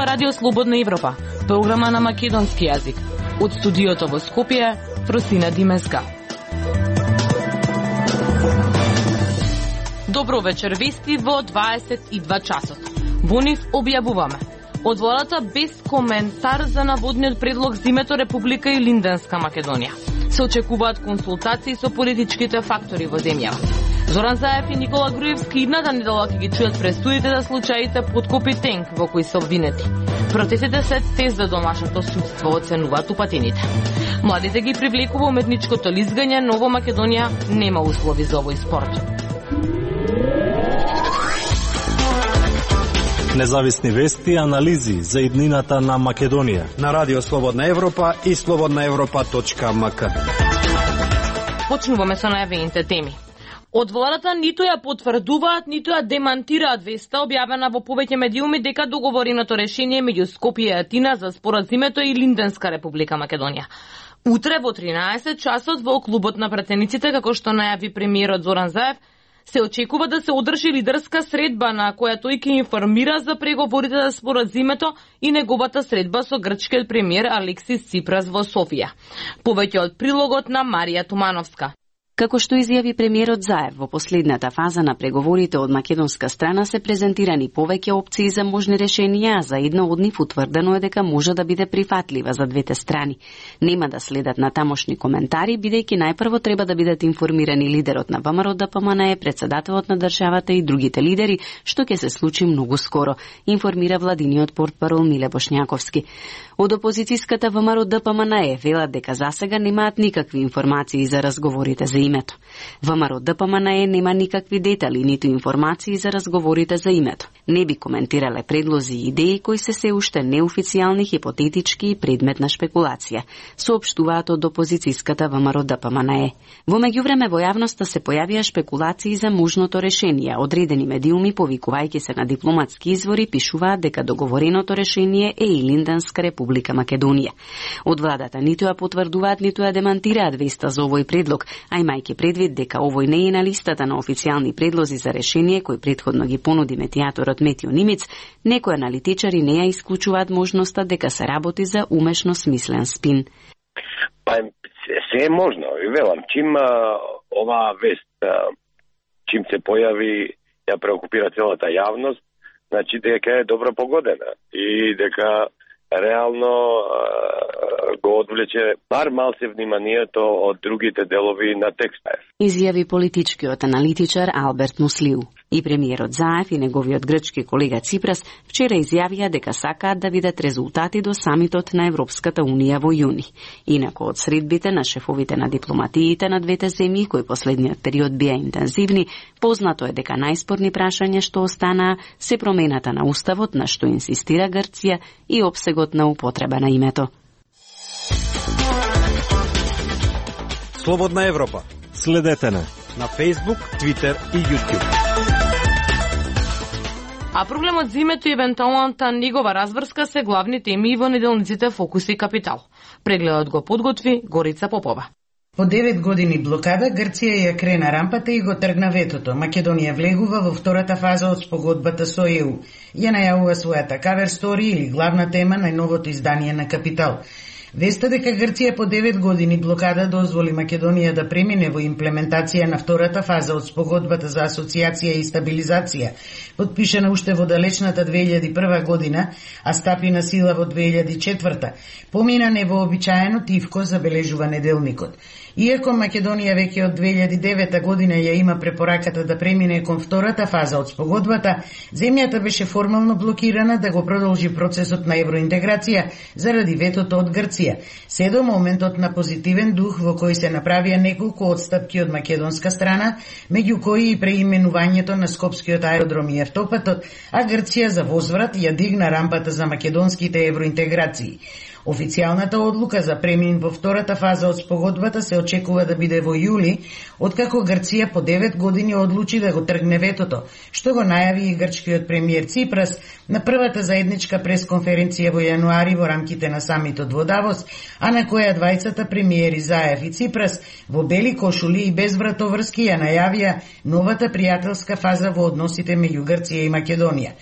Радио Слободна Европа, програма на македонски јазик. Од студиото во Скопје, Фросина Димеска. Добро вечер, вести во 22 часот. Во нив објавуваме: од владата без коментар за наводниот предлог за името Република и Линденска Македонија. Се очекуваат консултации со политичките фактори во земјава. Зоран Заев и Никола Груевски идната недела ќе ги чујат пресудите за случаите подкопи тенк во кои се обвинети. Протестите се тест за домашното судство, оценуваат упатените. Младите ги привлекува уметничкото лизгање, но во Македонија нема услови за овој спорт. Независни вести и анализи за иднината на Македонија на Радио Слободна Европа и slobodnaevropa.mk. Почнуваме со најавените теми. Од владата ниту ја потврдуваат, ниту ја демантираат веста објавена во повеќе медиуми дека договореното решение меѓу Скопје и Атина за споразумето и Линденска Република Македонија. Утре во 13 часот во клубот на пратениците, како што најави премиерот Зоран Заев, се очекува да се одржи лидерска средба на која тој ќе информира за преговорите за споразумето и неговата средба со грчкиот премиер Алексис Ципрас во Софија. Повеќе од прилогот на Марија Тумановска. Како што изјави премиерот Заев, во последната фаза на преговорите од македонска страна се презентирани повеќе опции за можни решенија, а за една од нив утврдено е дека може да биде прифатлива за двете страни. Нема да следат натамошни коментари, бидејќи најпрво треба да бидат информирани лидерот на ВМРО-ДПМНЕ, председателот на државата и другите лидери, што ќе се случи многу скоро, информира владиниот портпарол Миле Бошњаковски. Од опозицијската ВМРО-ДПМНЕ велат дека засега немаат никакви информации за разговорите за името. ВМРО-ДПМНЕ нема никакви детали, ниту информации за разговорите за името. Не би коментирале предлози и идеи кои се уште неофицијални, хипотетички и предмет на шпекулација, соопштуваат од опозицијската ВМРО-ДПМНЕ. Во меѓувреме во јавноста се појавија шпекулации за можното решение. Одредени медиуми, повикувајќи се на дипломатски извори, пишуваат дека договореното решение е и Линденска Република Македонија. Од владата ниту ја потврдуваат, ниту ја демантираат веста за овој предлог, а имајќи предвид дека овој не е на листата на официјални предлози за решение кој претходно ги понуди медијаторот Метио Нимиц, некои аналитичари не ја исклучуваат можноста дека се работи за умешно смислен спин. Па се е можно, и велам, чим оваа вест, чим се појави, ја преокупира целата јавност, значи дека е добро погодена и дека реално го одвлече бар малце вниманието од другите делови на текстот. Изјави политичкиот аналитичар Алберт Муслиу. И премиерот Заев и неговиот грчки колега Ципрас вчера изјавија дека сакаат да видат резултати до самитот на Европската Унија во јуни. Инаку од средбите на шефовите на дипломатиите на двете земји, кои последниот период беа интензивни, познато е дека најспорни прашања што останаа се промената на уставот, на што инсистира Грција, и опсегот на употреба на името. Слободна Европа. Следете на Facebook, Twitter и YouTube. А проблемот за името и евентуалната негова разврска се главни теми во неделниците Фокус и Капитал. Прегледот го подготви Горица Попова. По 9 години блокада, Грција ја крена рампата и го тргна ветото. Македонија влегува во втората фаза од спогодбата со ЕУ. Ја најавува својата кавер стори или главна тема на новото издание на Капитал. Веста дека Грција по 9 години блокада дозволи Македонија да премине во имплементација на втората фаза од спогодбата за асоциација и стабилизација, подпишана уште во далечната 2001 година, а стапи на сила во 2004, помина невообичаено тивко, забележува неделникот. Иако Македонија веќе од 2009 година ја има препораката да премине кон втората фаза од спогодбата, земјата беше формално блокирана да го продолжи процесот на евроинтеграција заради ветото од Грција, се до моментот на позитивен дух во кој се направија неколку отстапки од македонска страна, меѓу кои и преименувањето на Скопскиот аеродром и автопатот, а Грција за возврат ја дигна рампата за македонските евроинтеграции. Официјалната одлука за премин во втората фаза од спогодбата се очекува да биде во јули, откако Грција по 9 години одлучи да го тргне ветото, што го најави и грчкиот премиер Ципрас на првата заедничка пресконференција во јануари во рамките на самитот во Давос, а на која двајцата премиери Заев и Ципрас во бели кошули и без вратоврски ја најавија новата пријателска фаза во односите меѓу Грција и Македонија.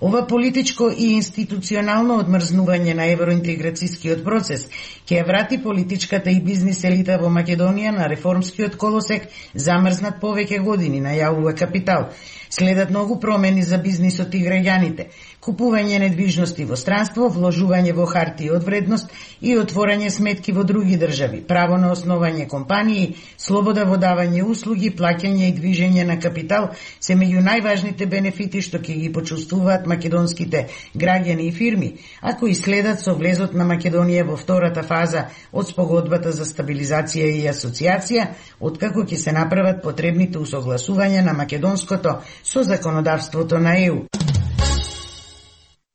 Ова политичко и институционално одмрзнување на евроинтеграцијскиот процес ќе ја врати политичката и бизнис елита во Македонија на реформскиот колосек замрзнат повеќе години, најавува Капитал. Следат многу промени за бизнисот и граѓаните, купување недвижности во странство, вложување во хартии од вредност и отворање сметки во други држави, право на основање компании, слобода во давање услуги, плаќање и движење на капитал се меѓу најважните бенефити што ќе ги почувствуваат македонските граѓани и фирми, ако и следат со влезот на Македонија во втората фаза од спогодбата за стабилизација и асоциација, откако ќе се направат потребните усогласувања на македонското со законодавството на ЕУ.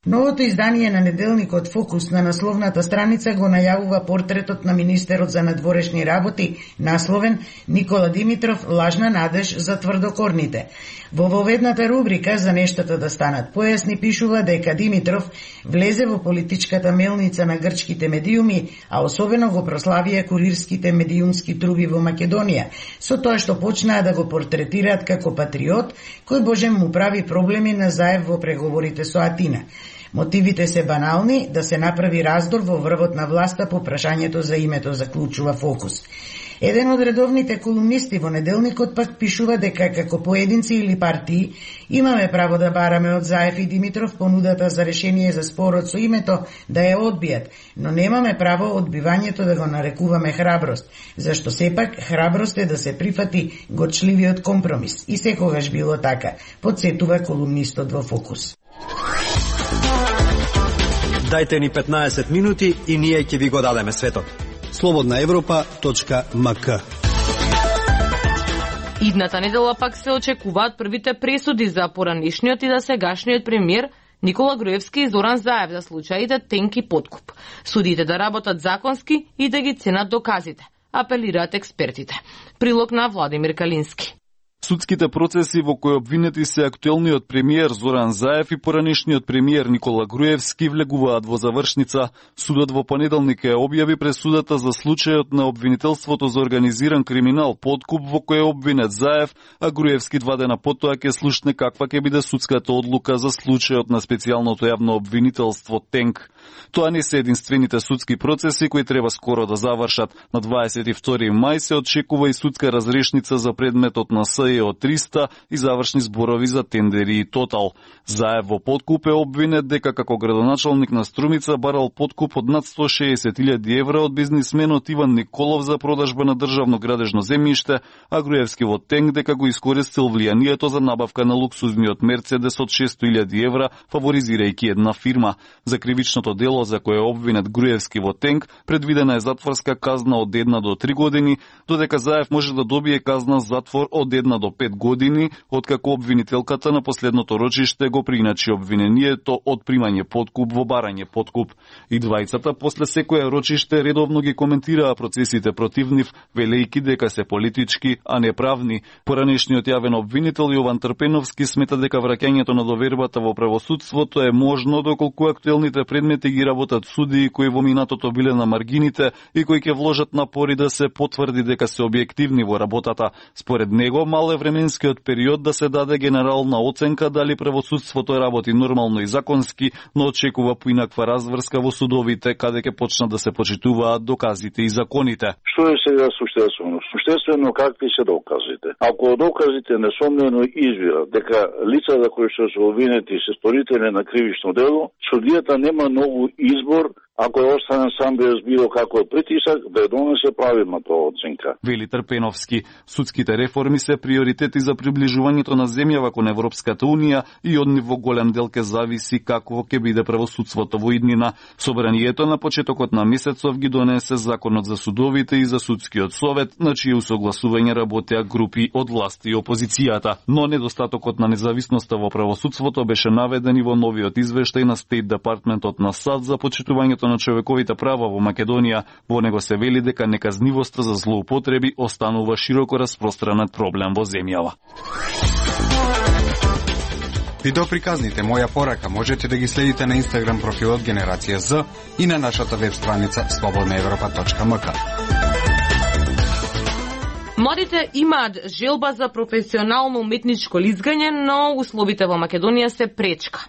Новото издание на неделникот Фокус на насловната страница го најавува портретот на министерот за надворешни работи, насловен Никола Димитров лажна надеж за тврдокорните. Во воведната рубрика за нештата да станат појасни пишува дека Димитров влезе во политичката мелница на грчките медиуми, а особено го прославија курирските медиумски труби во Македонија, со тоа што почнаа да го портретираат како патриот, кој божем му прави проблеми на Заев во преговорите со Атина. Мотивите се банални, да се направи раздор во врвот на власта по прашањето за името, заклучува Фокус. Еден од редовните колумнисти во неделникот пак пишува дека како поединци или партии имаме право да бараме од Заев и Димитров понудата за решение за спорот со името да ја одбијат, но немаме право одбивањето да го нарекуваме храброст, зашто сепак храброст е да се прифати горчливиот компромис. И секогаш било така, подсетува колумнистот во Фокус. Дајте ни 15 минути и ние ќе ви го дадеме светот. slobodnaevropa.mk. Идната недела пак се очекуваат првите пресуди за поранишниот и за сегашниот премиер Никола Груевски и Зоран Заев за случаите Тенк и подкуп. Судите да работат законски и да ги ценат доказите, апелираат експертите. Прилог на Владимир Калински. Судските процеси во кои обвинети се актуелниот премиер Зоран Заев и поранишниот премиер Никола Груевски влегуваат во завршница. Судот во понеделник ја објави пресудата за случајот на обвинителството за организиран криминал подкуп во кој е обвинет Заев, а Груевски 2 дена потоа ќе слушне каква ќе биде судската одлука за случајот на специјалното јавно обвинителство Тенк. Тоа не се единствените судски процеси кои треба скоро да завршат. На 22 мај се очекува и судска разрешница за предметот на СЕО 300 и завршни зборови за тендери и Тотал. Заев во подкуп е обвинет дека како градоначалник на Струмица барал подкуп од над 160.000 евра од бизнисменот Иван Николов за продажба на државно градежно земјиште, а Груевски во Тенк дека го искористил влијанието за набавка на луксузниот Мерцедес од 600.000 евра, фаворизирајќи една фирма. За кривичното дело за кое е обвинет Груевски во Тенк, предвидена е затворска казна од 1 до 3 години, додека Заев може да добие казна затвор од 1 до 5 години, откако обвинителката на последното рочиште го приначи обвинението од примање подкуп во барање подкуп. И двајцата после секоја рочиште редовно ги коментираа процесите против нив, велејќи дека се политички, а не правни. Поранешниот јавен обвинител Јован Трпеновски смета дека враќањето на довербата во правосудството е можно доколку актуелните предмети ги работат судии кои во минатото биле на маргините и кои ќе вложат напори да се потврди дека се објективни во работата. Според него, мал е временскиот период да се даде генерална оценка дали правосудството работи нормално и законски, но очекува поинаква разврска во судовите, каде ќе почнат да се почитуваат доказите и законите. Што е сега суштествено? Суштествено какви се доказите? Ако доказите несомнено извира дека лицата кои што се обвинети се сторители на кривично дело, судијата нема многу избор, ако е останен сам без било каков притисак, да ја донесе правилна тоа оценка. Вели Трпеновски, судските реформи се приоритети за приближувањето на земјава кон Европската Унија и од нив во голем дел ке зависи какво ќе биде правосудството во иднина. Собранието на почетокот на месецов ги донесе законот за судовите и за судскиот совет, на чие усогласување работеа групи од власт и опозицијата. Но недостатокот на независноста во правосудството беше наведен и во новиот извештај на Стейт Департментот на САД за почитувањето на човековите права во Македонија. Во него се вели дека неказнивоста за злоупотреби останува широко распространет проблем во земјава. Видеоприказните Моја порака можете да ги следите на Инстаграм профилот Генерација З и на нашата веб страница slobodnaevropa.mk. Младите имаат желба за професионално уметничко лизгање, но условите во Македонија се пречка.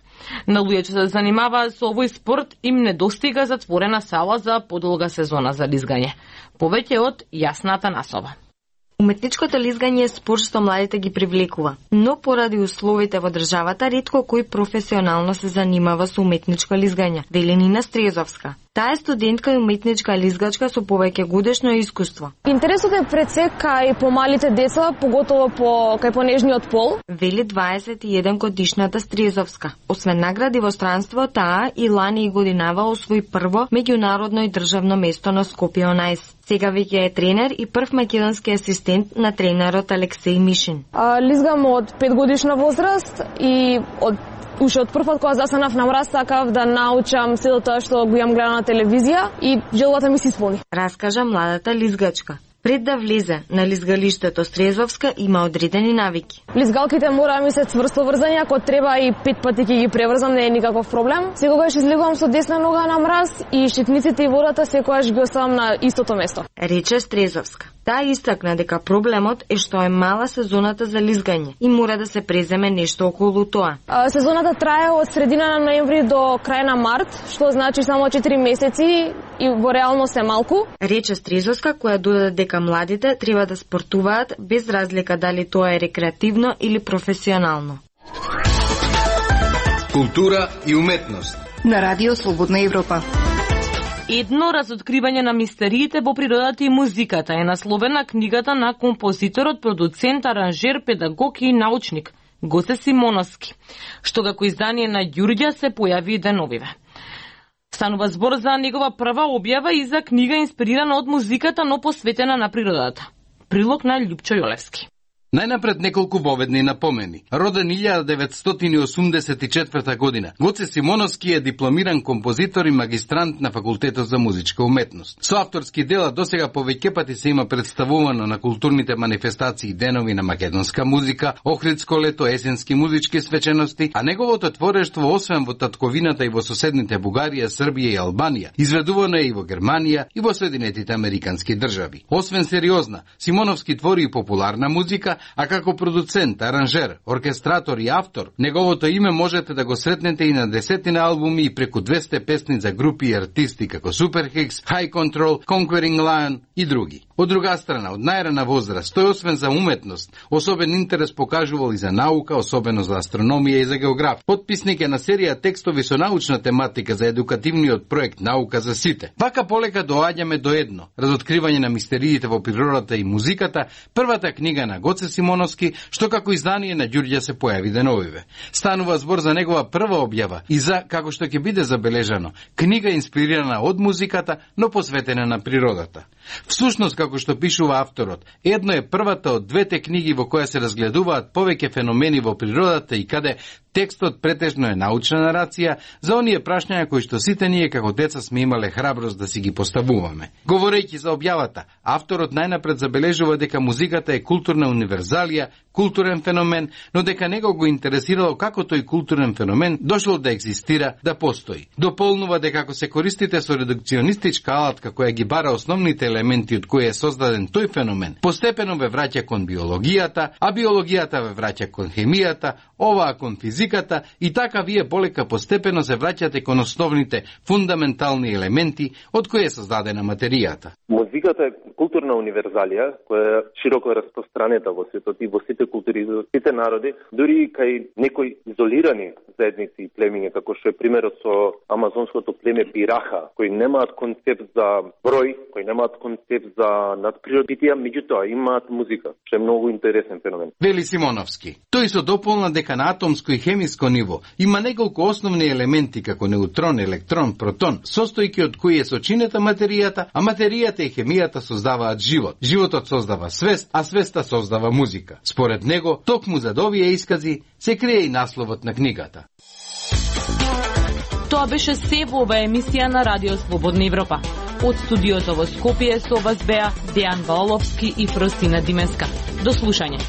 На луѓе што се занимаваат со овој спорт им недостига затворена сала за подолга сезона за лизгање. Повеќе од Јасна Атанасова. Уметничкото лизгање е спорт што младите ги привлекува, но поради условите во државата ретко кој професионално се занимава со уметничко лизгање, вели Нина Стрезовска. Таа е студентка и уметничка лизгачка со повеќе годишно искуство. Интересот е пред се кај помалите деца, поготово кај понежниот пол, вели 21 годишната Стрезовска. Освен награди во странство, таа и лани и годинава освои прво меѓународно и државно место на Скопје on Ice. Сега веќе е тренер и прв македонски асистент на тренерот Алексеј Мишин. Лизгам од 5 годишна возраст и уште од првот кога застанав на мраз сакав да научам сето тоа што го имам гледано на телевизија и желбата ми се исполни. Раскажа младата лизгачка. Пред да влезе на лизгалиштето Стрезовска има одредени навики. Лизгалките мора да ми се цврсто врзани, ако треба и 5 пати ќе ги преврзам, не е никаков проблем. Секогаш излегувам со десна нога на мраз и штитниците и водата секогаш ги оставам на истото место. Рече Стрезовска. Таа истакна дека проблемот е што е мала сезоната за лизгање и мора да се преземе нешто околу тоа. Сезоната трае од средина на ноември до крај на март, што значи само 4 месеци и во реалност е малку. Рече Стрезовска, која додаде дека младите треба да спортуваат без разлика дали тоа е рекреативно или професионално. Култура и уметност на Радио Слободна Европа. Едно разоткривање на мистериите во природата и музиката е насловена книгата на композиторот, продуцент, аранжер, педагог и научник Гоце Симоновски, што како издание на Ѓурѓа се појави деновиве. Станува збор за негова прва објава и за книга инспирирана од музиката, но посветена на природата. Прилог на Љупчо Јолевски. Најнапред неколку воведни напомени. Роден 1984 година, Гоце Симоновски е дипломиран композитор и магистрант на Факултетот за музичка уметност. Со авторски дела досега повеќе пати се има представувано на културните манифестации денови на македонска музика, Охридско лето, есенски музички свечености, а неговото творештво освен во татковината и во соседните Бугарија, Србија и Албанија, изведувано е и во Германија и во Соединетите Американски држави. Освен сериозна, Симоновски твори и популарна музика, а како продуцент, аранжер, оркестратор и автор, неговото име можете да го сретнете и на десетина албуми и преку 200 песни за групи и артисти како Superhix, High Control, Conquering Lion и други. Од друга страна, од најрана возраст, тој освен за уметност, особен интерес покажувал и за наука, особено за астрономија и за географија. Потписник е на серија текстови со научна тематика за едукативниот проект Наука за сите. Вака полека доаѓаме до едно, разоткривање на мистериите во природата и музиката, првата книга на Гоце Симоновски, што како издание на Ѓурѓа се појави деновиве. Станува збор за негова прва објава и за, како што ќе биде забележано, книга инспирирана од музиката, но посветена на природата. Всушност, како што пишува авторот, едно е првата од двете книги во која се разгледуваат повеќе феномени во природата и каде текстот претежно е научна нарација за оние прашања кои што сите ние како деца сме имале храброст да си ги поставуваме. Говорејќи за објавата, авторот најнапред забележува дека музиката е културна универзалија, културен феномен, но дека него го интересирало како тој културен феномен дошол да екзистира, да постои. Дополнува дека ако се користите со редукционистичка алатка која ги бара основните елементи од кои е создаден тој феномен, постепено ве враќа кон биологијата, а биологијата ве враќа кон хемијата, оваа кон физиката и така вие полека постепено се враќате кон основните фундаментални елементи од кои е создадена материјата. Музиката е културна универзалија која е широко распространета во светот и во сите култури, во сите народи, дури и кај некои изолирани заедници и племиња, како што е примерот со амазонското племе Бираха, кои немаат концепт за број, кои немаат концепт за надприродитија, меѓутоа имаат музика, што е многу интересен феномен. Вели Симоновски. Тој со дополна дека на атомско и хемиско ниво има неколку основни елементи како неутрон, електрон, протон, состојки од кои е сочинета материјата, а материјата и хемијата создаваат живот. Животот создава свест, а свеста создава музика. Според него, токму за овие искази се крие и насловот на книгата. Тоа беше се во оваа емисија на Радио Слободна Европа. Од студиото во Скопје со вас беа Дејан Ваоловски и Фросина Димеска. До слушање.